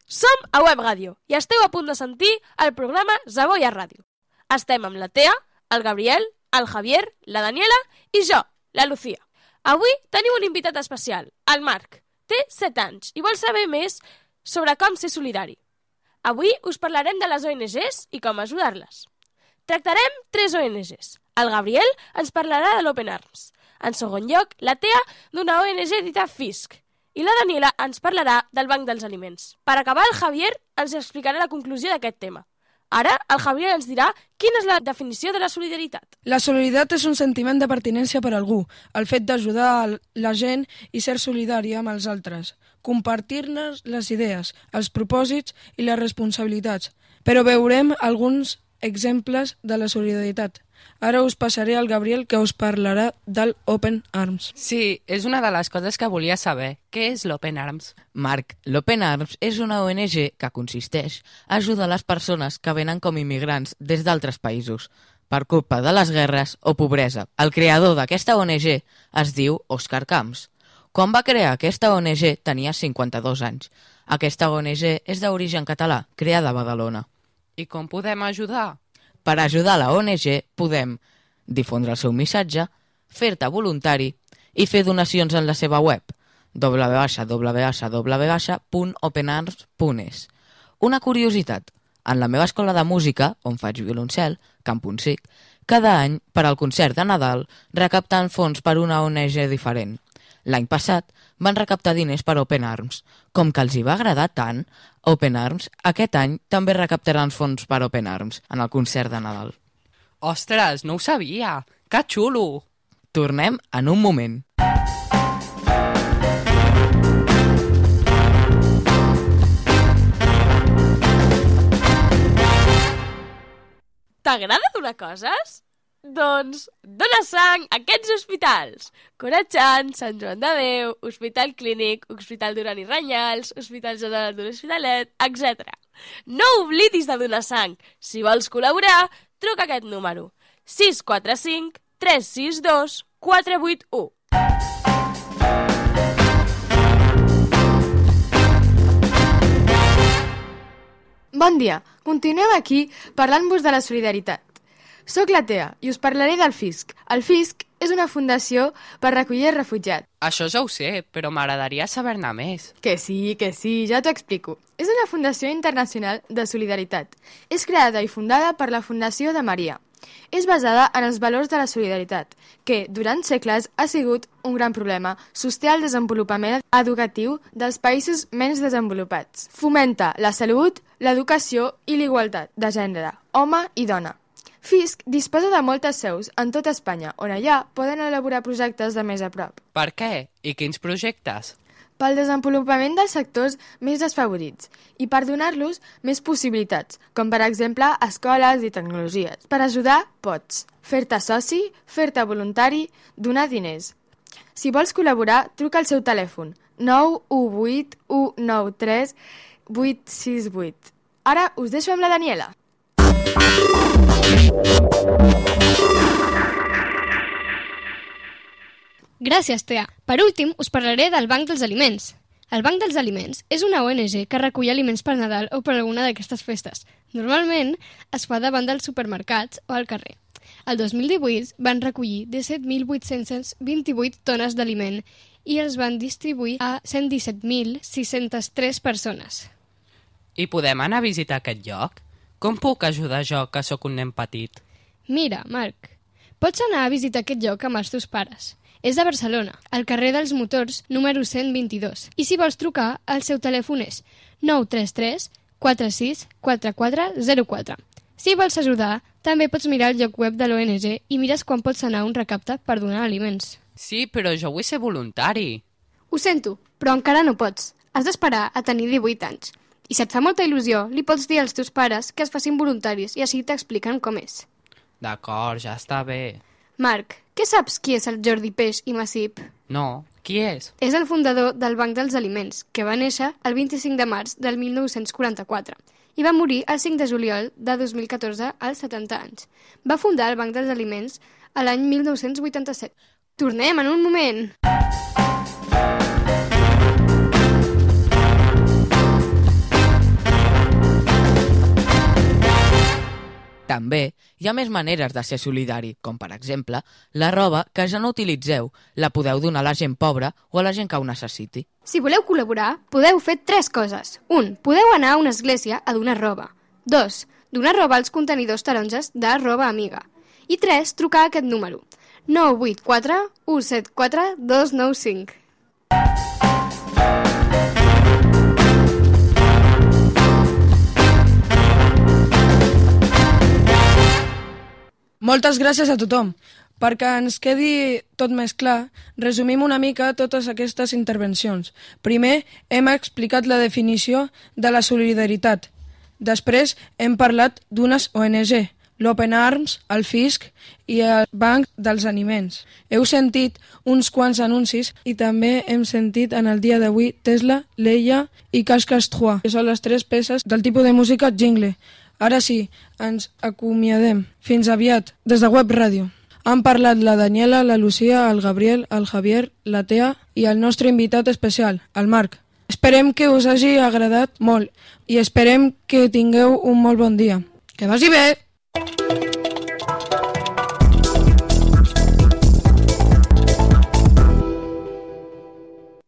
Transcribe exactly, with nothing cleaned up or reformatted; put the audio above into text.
Som a Web Ràdio i esteu a punt de sentir el programa Savoia Ràdio. Estem amb la Tea, el Gabriel, el Javier, la Daniela i jo, la Lucía. Avui tenim un invitat especial, el Marc. Té set anys i vol saber més sobre com ser solidari. Avui us parlarem de les O N Ges i com ajudar-les. Tractarem tres O N Ges. El Gabriel ens parlarà de l'Open Arms. En segon lloc, la Tea d'una O N G dita Fisk. I la Daniela ens parlarà del Banc dels Aliments. Per acabar, el Javier ens explicarà la conclusió d'aquest tema. Ara, el Javier ens dirà quina és la definició de la solidaritat. La solidaritat és un sentiment de pertinença per a algú, el fet d'ajudar la gent i ser solidari amb els altres, compartir-ne les idees, els propòsits i les responsabilitats. Però veurem alguns exemples de la solidaritat. Ara us passaré al Gabriel, que us parlarà del Open Arms. Sí, és una de les coses que volia saber. Què és l'Open Arms? Marc, l'Open Arms és una O N G que consisteix a ajudar les persones que venen com immigrants des d'altres països, per culpa de les guerres o pobresa. El creador d'aquesta O N G es diu Òscar Camps. Quan va crear aquesta O N G tenia cinquanta-dos anys. Aquesta O N G és d'origen català, creada a Badalona. I com podem ajudar? Per ajudar la O N G podem difondre el seu missatge, fer-te voluntari i fer donacions en la seva web w w w punt open arms punt es. Una curiositat, en la meva escola de música, on faig violoncel, Camp Punsic, cada any, per al concert de Nadal, recapten fons per una O N G diferent. L'any passat van recaptar diners per Open Arms. Com que els hi va agradar tant, Open Arms aquest any també recaptaran fons per Open Arms en el concert de Nadal. Ostres, no ho sabia! Que xulo! Tornem en un moment. T'agrada donar coses? Doncs dona sang a aquests hospitals. Corachan, Sant Joan de Déu, Hospital Clínic, Hospital Duran i Ranyals, Hospital General de l'Hospitalet, etcètera. No oblidis de donar sang. Si vols col·laborar, truca aquest número. sis quatre cinc tres sis dos quatre vuit u. Bon dia, continuem aquí parlant-vos de la solidaritat. Soc la Tea i us parlaré del Fisk. El Fisk és una fundació per recollir refugiats. Això ja ho sé, però m'agradaria saber-ne més. Que sí, que sí, ja t'ho explico. És una fundació internacional de solidaritat. És creada i fundada per la Fundació de Maria. És basada en els valors de la solidaritat, que durant segles ha sigut un gran problema. Sosté el desenvolupament educatiu dels països menys desenvolupats. Fomenta la salut, l'educació i l'igualtat de gènere, home i dona. Fisk disposa de moltes seus en tota Espanya, on allà poden elaborar projectes de més a prop. Per què? I quins projectes? Pel desenvolupament dels sectors més desfavorits i per donar-los més possibilitats, com per exemple escoles i tecnologies. Per ajudar, pots fer-te soci, fer-te voluntari, donar diners. Si vols col·laborar, truca al seu telèfon nou u vuit u nou tres vuit sis vuit. Ara us deixo amb la Daniela. Gràcies, Tea. Per últim, us parlaré del Banc dels Aliments. El Banc dels Aliments és una O N G que recull aliments per Nadal o per alguna d'aquestes festes. Normalment es fa davant dels supermercats o al carrer. El dos mil divuit van recollir disset mil vuit-cents vint-i-vuit tones d'aliment i els van distribuir a cent disset mil sis-centes tres persones. I podem anar a visitar aquest lloc? Com puc ajudar jo, que sóc un nen petit? Mira, Marc, pots anar a visitar aquest lloc amb els teus pares. És a Barcelona, al carrer dels Motors, número cent vint-i-dos. I si vols trucar, el seu telèfon és nou tres tres quatre sis quatre quatre zero quatre. Si vols ajudar, també pots mirar el lloc web de l'O N G i mires quan pots anar a un recapte per donar aliments. Sí, però jo vull ser voluntari. Ho sento, però encara no pots. Has d'esperar a tenir divuit anys. I si et fa molta il·lusió, li pots dir als teus pares que es facin voluntaris i així t'expliquen com és. D'acord, ja està bé. Marc, què saps qui és el Jordi Peix i Massip? No, qui és? És el fundador del Banc dels Aliments, que va néixer el vint-i-cinc de març del mil nou-cents quaranta-quatre i va morir el cinc de juliol de dos mil catorze als setanta anys. Va fundar el Banc dels Aliments a l'any mil nou-cents vuitanta-set. Tornem en un moment! també hi ha més maneres de ser solidari, com per exemple, la roba que ja no utilitzeu la podeu donar a la gent pobra o a la gent que ho necessiti. Si voleu col·laborar, podeu fer tres coses. Un, podeu anar a una església a donar roba. Dos, donar roba als contenidors taronges de Roba Amiga. I tres, trucar a aquest número. nou vuit quatre u set quatre dos nou cinc. Moltes gràcies a tothom. Perquè ens quedi tot més clar, resumim una mica totes aquestes intervencions. Primer, hem explicat la definició de la solidaritat. Després, hem parlat d'unes O N G, l'Open Arms, el Fisc i el Banc dels Aliments. Heu sentit uns quants anuncis i també hem sentit en el dia d'avui Tesla, Leia i Cascas-Trois, que són les tres peces del tipus de música jingle. Ara sí, ens acomiadem. Fins aviat, des de Web Ràdio. Han parlat la Daniela, la Lucía, el Gabriel, el Javier, la Tea i el nostre invitat especial, el Marc. Esperem que us hagi agradat molt i esperem que tingueu un molt bon dia. Que vagi bé!